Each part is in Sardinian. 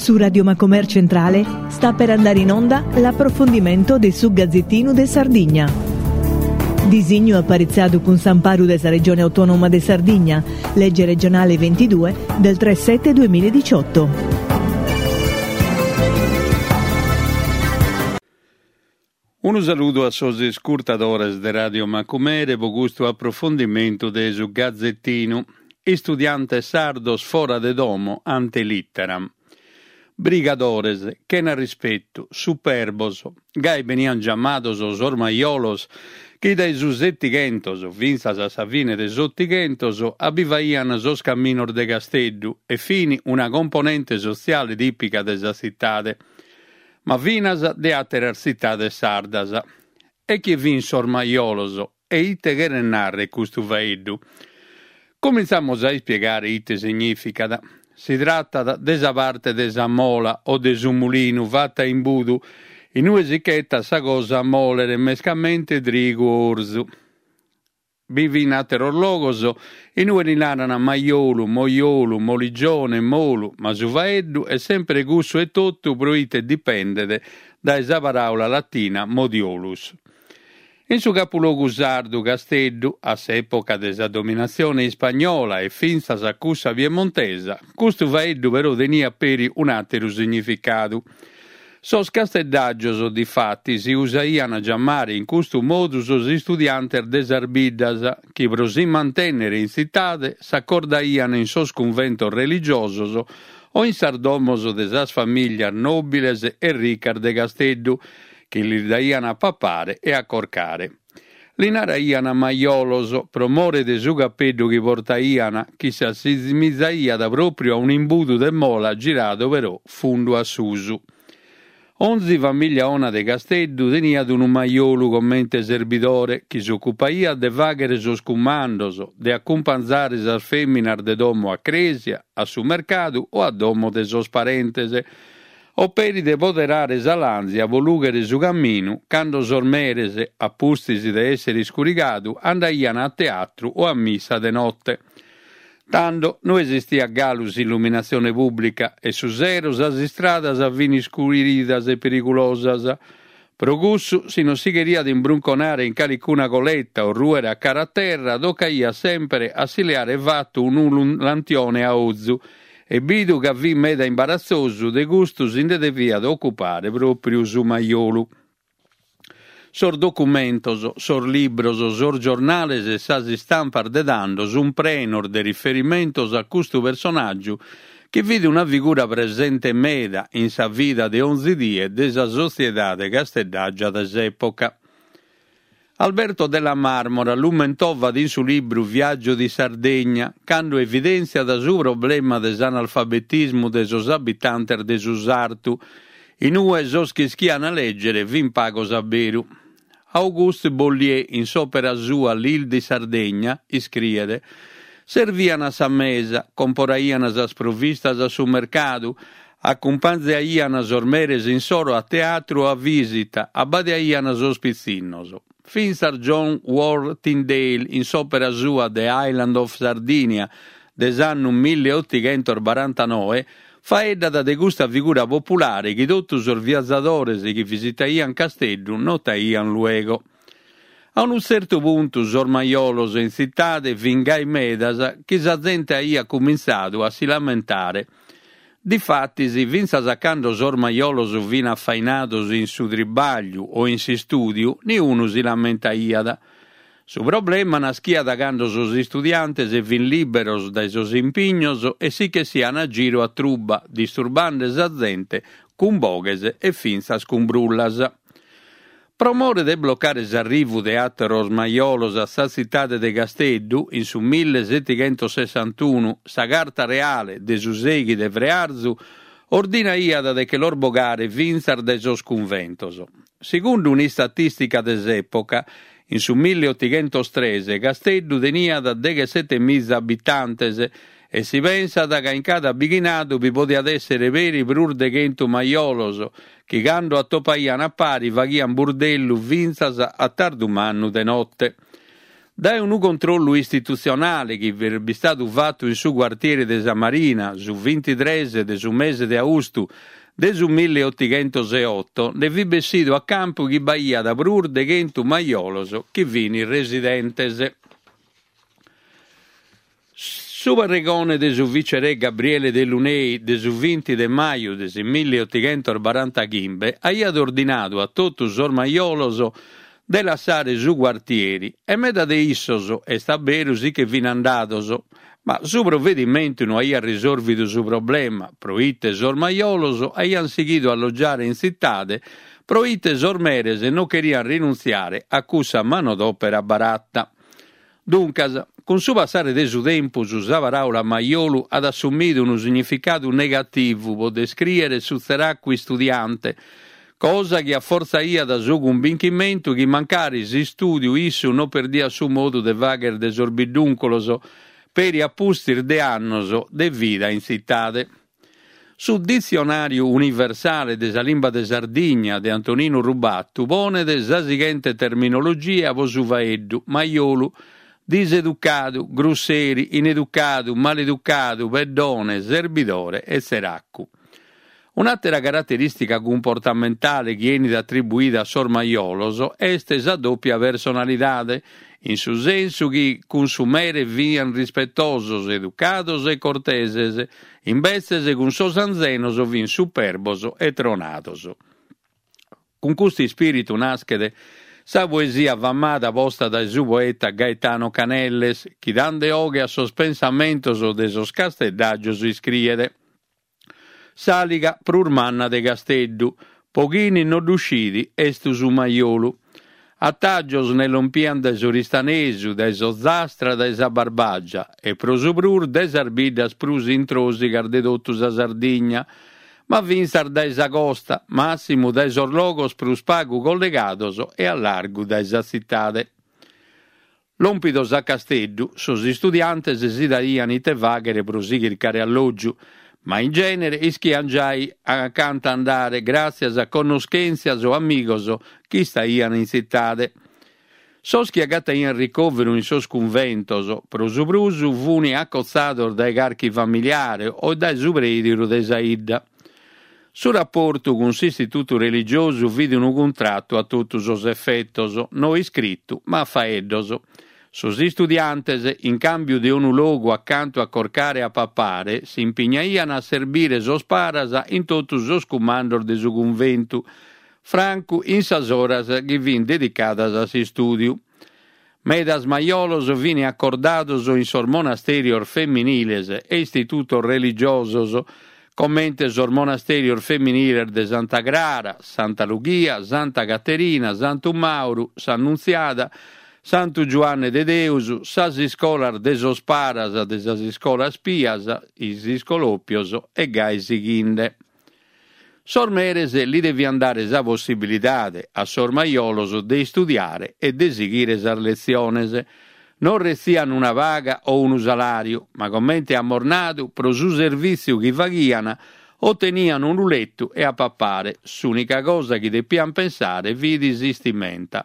Su Radio Macomer Centrale sta per andare in onda l'approfondimento de su Gazzettinu de Sardigna. Disignu aparitzadu cun s'amparu de sa Regione Autonoma de Sardigna, legge regionale 22 del 3 7 2018. Unu saludu a sos iscurtadores de Radio Macumere pro custu aprofondimentu de su Gazetinu. Istudiantes sardos fora de domo ante litteram. Brigadores, chena rispetu, superbos, gai beniant giamados sos majolos chi dae su Setighentos fintzas a sa fine de s'Otighentos abivaiant sos caminos de Casteddu e fin una componente sotziale tìpica de sa tzitade. Ma finas de àteras tzitades sardas. E chie fin sos majolos e ite cheret nàrrere custu faeddu? Comintzamus a ispiegare ite signìficat. Si tratat de sa parte de sa mola o de su mulinu fata a imbudu, in ue si ch'etat sa cosa a mòlere, mescamente trigu o orzu. Bi fin àteros logos in ue li naran majolu, mojolu, moligione, molu, ma su faeddu est sempre cussu etotu proite dipendet dae sa paràula latina modiolus. In su capulogu sardu, Casteddu, a s'època de sa dominatzione ispagnola e fintzas a cussa piemontesa, custu faeddu però teniat peri un'àteru significadu. Sos casteddàgios, difatis, usaian a giamare in custu modu sos istudiantes de sas biddas chi pro si mantènnere in tzitade s'acordaian in sos cunventos religiosos o in sas domos de sas famìlias nòbiles e ricas de Casteddu chi lis daian a papare e a corcare. Li naraian majolos pro more de su capeddu chi portaian, chi s'assimizaiat pròpriu a un'imbudu de mola giradu però fundu a susu. Onzi famìllia 'ona de Casteddu teniat unu majolu comente serbidore chi s'ocupaiat de fàghere sos cumandos, de acumpanzare sas fèminas de domo a crèsia, a su mercadu o a domo de sos parentes, o peri de poderare sa làntzia pro lùghere su caminu cando sos meres, a pustis de èssere iscurigadu, andaian a teatru o a missa de note. Tando no esistiat galu s'illuminatzione pùblica e su sero sas istradas fin iscuridas e perigulosas. Pro cussu, si non si cheriat imbrunconare in calicuna coleta o rùere a cara a terra, tocaiat semper a si leare fatu unu lantione a ozu e bidu ca fit meda imbaratzosu, de custu si nde deviat ocupare pròpriu su majolu. Sos documentos, sos libros, sos giornales e sas istampas de tando sunt prenos de riferimentos a custu personàgiu chi fit una figura presente meda in sa vida de onzi die de sa sotziedade casteddàgia de s'època. Alberto Della Marmora lu mentovat in su libru Viaggio di Sardegna, cando evidèntziat su problema de s'analfabetismu de sos abitantes de su sartu, in ue sos chi ischian lègere fin pagos a beru. Auguste Bollier, in s'òpera sua L'Île di Sardegna, iscriet, Servian a sa mesa, comporaian sas provistas a su mercadu, acumpanziaian sos meres insoro a teatru o a visita, abbadiaian sos pitzinnos. Fintzas John Ward Tyndale, in s'òpera sua The Island of Sardinia, de s'annu milliottighentosbarantanoe, Faeddat de custa figura populare chi totu sos viazadores chi visitaiant Casteddu notaiant luego. A unu tzertu puntu sos majolos in tzitade fin gai medas chi sa zente aiat cumintzadu a si lamentare. Difatis, fintzas a cando sos majolos fin afainados in su tribagliu o in s'istùdiu, niunu si lamentaiat. Su problema naschiat cando sos istudiantes fin lìberos dae sos impignos e si ch'essian a giru a truba, disturbande sa zente cun boghes e fintzas cun brullas. Pro more de blocare s'arrivu de àteros majolos a sa tzitade de Casteddu, in su millisettighentosessantunu, sa Carta Reale de su sèighi de frearzu ordinaiat de che los bogare fintzas dae sos cunventos. Segundu un'istatìstica de s'època, in su milliottighentos-tres Casteddu teniat deghesetemiza abitantes e si pensat ca in cada bighinadu bi podiat èssere peri prus de chentu majolos chi cando atopaian a pari faghian burdellu fintzas a tardu mannu de note. Dae unu controllu istitutzionale chi fit bistadu fatu in su cuartieri de sa Marina su vintitres de su mese de austu de su milliotighentoseoto nde fit bessidu a campu chi b'aiat prus de chentu majolos chi fin residentes. Su parregone de su viceré Gabriele de Lunei de su vinti de maju de su milliotighentosbarantachimbe aiat ordinadu a totu sos majolos de lassare su cuartieri e meda de issos, est a beru, si che fin andados, ma su provedimentu no aiat risòrvidu su problema, proite sos majolos aian sighidu a allogiare in tzitade, proite sos meres no cherian rinuntziare a cussa manodòpera barata. Duncas, cun su passare de su tempus sa paràula majolu at assumidu unu significadu negativu pro descrìere su tzeracu istudiante, cosa chi afortzaiat su cumbinchimentu chi mancari s'istùdiu issu non perdiat su modu de fàghere de sos biddùnculos peri a pustis de annos de vida in tzitade. Su Ditzionàriu Universale de sa Limba de Sardigna de Antoninu Rubattu ponet sa sighente terminologia pro su faeddu, majolu, diseducadu, grusseri, ineducadu, maleducadu, peddone, serbidore e tzeracu. Un'àtera caraterìstica cumportamentale chi 'enit atribuida a sos majolos est sa dòpia personalidade, in su sensu chi cun su mere fiant rispetosos, educados e corteses, imbetzes cun sos anzenos fint superbos e tronados. Cun custu ispìritu naschet sa poesia famada posta dae su poeta Gaetano Canelles, chi dande 'oghe a sos pensamentos de sos casteddàgios iscriet. S'àliga prus manna de Casteddu, po chini no ddu scit, est su majolu. A tàgios nde lompiant dae s'Oristanesu, dae s'Ozastra, dae sa Barbàgia e pro su prus de sas biddas prus intròsigas de totu sa Sardigna, ma fintzas dae sa costa, màssimu dae sos logos prus pagu collegados e a largu dae sa tzitade. Lòmpidos a Casteddu, sos istudiantes si daian ite fàghere pro si chircare allògiu, ma in gènere ischian giai acanta andare gràtzias a connoschèntzias o amigos chi istaian in tzitade. Sos chi agataian ricòveru in sos cunventos, pro su prus funi acotzados dae carchi familiare o dae su prèideru de sa 'idda. Su raportu cun s'istitutu religiosu fit unu cuntratu a totu sos efetos, no iscritu, ma a faeddos. Sos istudiantes, in càmbiu de unu logu acantu a corcare e a papare, s'impignaian a serbire sos paras in totu sos cumandos de su cunventu, francu in sas oras chi fin dedicadas a s'istùdiu. Medas majolos fin acordados in sos monastèrios feminiles e istitutos religiosos, comente sos monastèrios feminiles de Santa Crara, Santa Lughia, Santa Caterina, Santu Mauru, s'Annuntziada, Santu Giuanne de Deus, sas iscolas de sos paras de sas iscolas pias, is iscolòpios e gai sighinde. Sos meres li deviant dare sa possibilidade a sos majolos de istudiare e de sighire sas letziones. Non retzian una paga o unu salàriu, ma comente amus nadu, pro su servìtziu chi faghian, otenian unu letu e a papare, s'ùnica cosa chi depian pensare fit s'istimenta.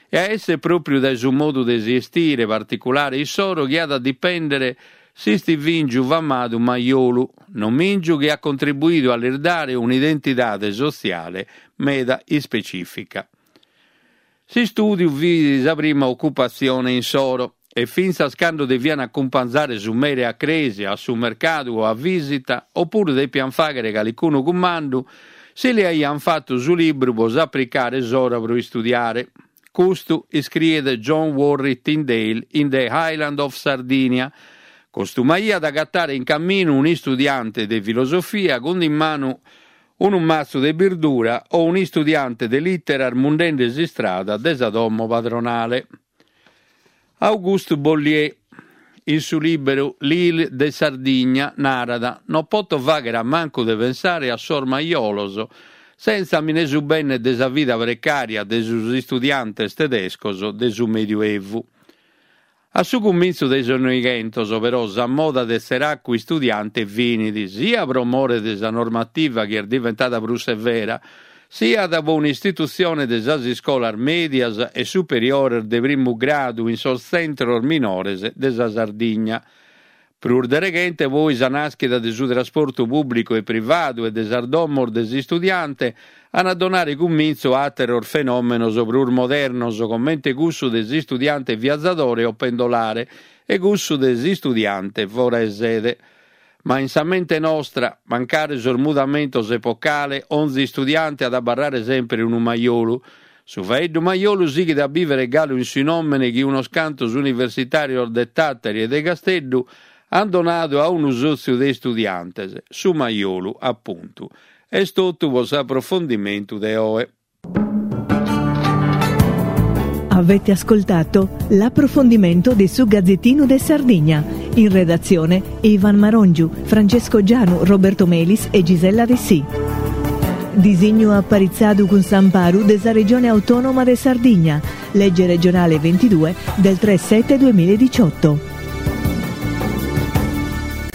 E a esser pròpriu dae su modu de si estire particulare issoro chi at a dipèndere s'istivìngiu famadu majolu, nomìngiu chi at contribuidu a lis dare un'identidade sotziale meda ispecìfica. S'istùdiu fit sa prima ocupatzione insoro e fintzas cando devian acumpanzare su mere a crèsia, a su mercadu o a vìsita, opuru depian fàghere calicunu cumandu, si leaian fatu su libru pro s'apricare s'ora pro istudiare. Custu iscriet John Warry Tyndale in The Island of Sardinia. Costumaiat agatare in caminu un'istudiante de filosofia cun in manu unu matzu de birdura o un'istudiante de lìteras mundende s'istrada de sa domo padronale. Auguste Bollier, in su lìberu L'Île de Sardigna, narat, Non poto fàghere a mancu de pensare a sos majolos sentza mi ne subènnere de sa vida precària de sos istudiantes tedescos de su Medioevu. A su cumintzu de sos Noighentos, però, sa moda de tzeracu istudiante finit, sia pro more de sa normativa chi est diventada prus severa. siat po un'istitutzione de sas iscolas mèdias e superiores de primu gradu in sos tzentros minores de sa Sardigna. Prus de reghente poi sa nàschida de su trasportu pùblicu e privadu e de sas domos de s'istudiante an a donare cumintzu a àteros fenòmenos prus modernos comente cussu de s'istudiante viazadore o pendolare e cussu de s'istudiante fora 'e sede. Ma in sa mente nostra, mancari sos mudamentos epocale, onzi istudiante at a abarrare semper unu majolu. Su faeddu majolu sighit a bìvere galu in su nòmene chi unos cantos universitàrios de Tàtari e de Casteddu ant donadu a unu sòtziu de istudiantes, su majolu, apuntu. Est totu pro s'aprofondimentu de oe. Avete ascoltato l'approfondimento de su Gazzettino de Sardigna. In redazione Ivan Marongiu, Francesco Gianu, Roberto Melis e Gisella Dessì. Disignu aparitzadu cun s'amparu de sa Regione Autonoma de Sardigna, legge regionale 22 del 3 7 2018.